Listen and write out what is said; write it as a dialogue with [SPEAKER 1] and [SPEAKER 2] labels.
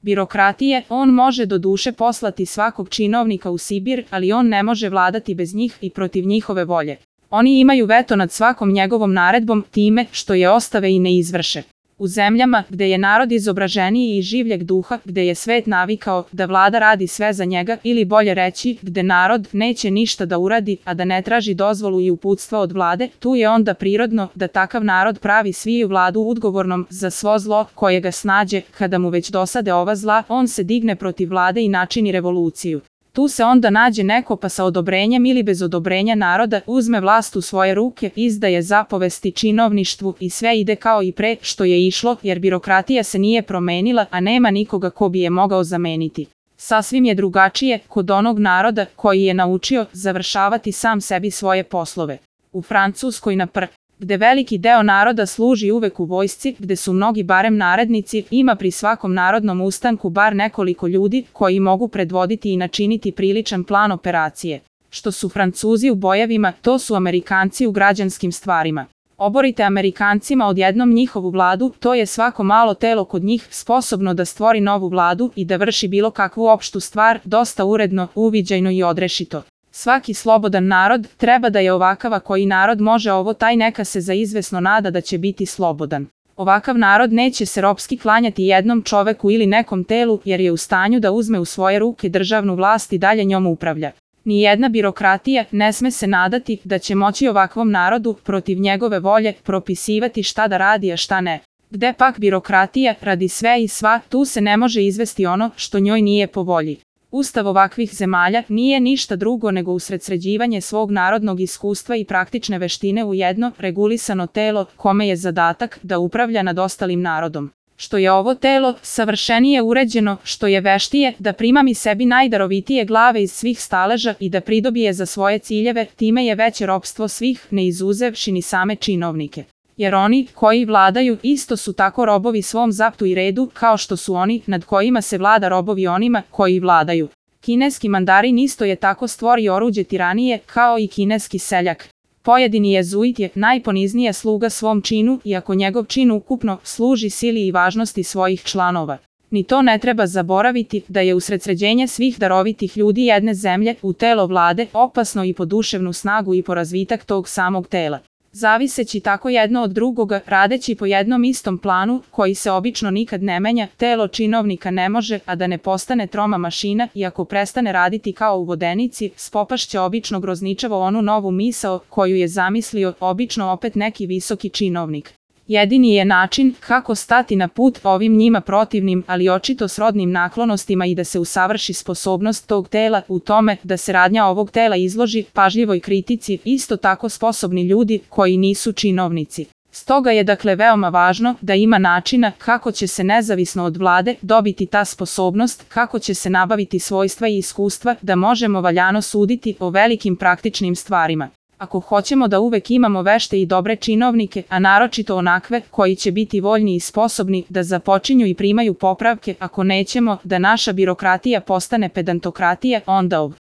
[SPEAKER 1] Birokratije, on može do duše poslati svakog činovnika u Sibir, ali on ne može vladati bez njih i protiv njihove volje. Oni imaju veto nad svakom njegovom naredbom time što je ostave i ne izvrše. U zemljama gde je narod izobraženiji i življeg duha, gde je svet navikao da vlada radi sve za njega ili bolje reći gde narod neće ništa da uradi, a da ne traži dozvolu i uputstva od vlade, tu je onda prirodno da takav narod pravi sviju vladu odgovornom za svo zlo koje ga snađe. Kada mu već dosade ova zla, on se digne protiv vlade i načini revoluciju. Tu se onda nađe neko pa sa odobrenjem ili bez odobrenja naroda uzme vlast u svoje ruke, izdaje zapovesti činovništvu i sve ide kao i pre što je išlo, jer birokratija se nije promenila, a nema nikoga ko bi je mogao zameniti. Sasvim je drugačije kod onog naroda koji je naučio završavati sam sebi svoje poslove. U Francuskoj gde veliki deo naroda služi uvek u vojsci, gde su mnogi barem narednici, ima pri svakom narodnom ustanku bar nekoliko ljudi koji mogu predvoditi i načiniti priličan plan operacije. Što su Francuzi u bojevima, to su Amerikanci u građanskim stvarima. Oborite Amerikancima odjednom njihovu vladu, to je svako malo telo kod njih sposobno da stvori novu vladu i da vrši bilo kakvu opštu stvar, dosta uredno, uviđajno i odrešito. Svaki slobodan narod treba da je ovakav, a koji narod može ovo taj neka se za izvesno nada da će biti slobodan. Ovakav narod neće se ropski klanjati jednom čoveku ili nekom telu jer je u stanju da uzme u svoje ruke državnu vlast i dalje njom upravlja. Nijedna birokratija ne sme se nadati da će moći ovakvom narodu protiv njegove volje propisivati šta da radi, a šta ne. Gde pak birokratija radi sve i sva, tu se ne može izvesti ono što njoj nije po volji. Ustav ovakvih zemalja nije ništa drugo nego usredsređivanje svog narodnog iskustva i praktične veštine u jedno regulisano telo kome je zadatak da upravlja nad ostalim narodom. Što je ovo telo savršenije uređeno, što je veštije da primami sebi najdarovitije glave iz svih staleža i da pridobije za svoje ciljeve, time je veće ropstvo svih, ne izuzevši ni same činovnike. Jer oni koji vladaju isto su tako robovi svom zaptu i redu kao što su oni nad kojima se vlada robovi onima koji vladaju. Kineski mandarin isto je tako stvorio oruđe tiranije kao i kineski seljak. Pojedini jezuit je najponiznija sluga svom činu iako njegov čin ukupno služi sili i važnosti svojih članova. Ni to ne treba zaboraviti da je usredsređenje svih darovitih ljudi jedne zemlje u telo vlade opasno i po duševnu snagu i po razvitak tog samog tela. Zaviseći tako jedno od drugoga, radeći po jednom istom planu, koji se obično nikad ne menja, telo činovnika ne može, a da ne postane troma mašina i ako prestane raditi kao u vodenici, spopašće obično grozničavo onu novu misao koju je zamislio obično opet neki visoki činovnik. Jedini je način kako stati na put ovim njima protivnim, ali očito srodnim naklonostima i da se usavrši sposobnost tog tela u tome da se radnja ovog tela izloži pažljivoj kritici, isto tako sposobni ljudi koji nisu činovnici. Stoga je dakle veoma važno da ima načina kako će se nezavisno od vlade dobiti ta sposobnost, kako će se nabaviti svojstva i iskustva da možemo valjano suditi o velikim praktičnim stvarima. Ako hoćemo da uvek imamo vešte i dobre činovnike, a naročito onakve koji će biti voljni i sposobni da započinju i primaju popravke, ako nećemo da naša birokratija postane pedantokratija, onda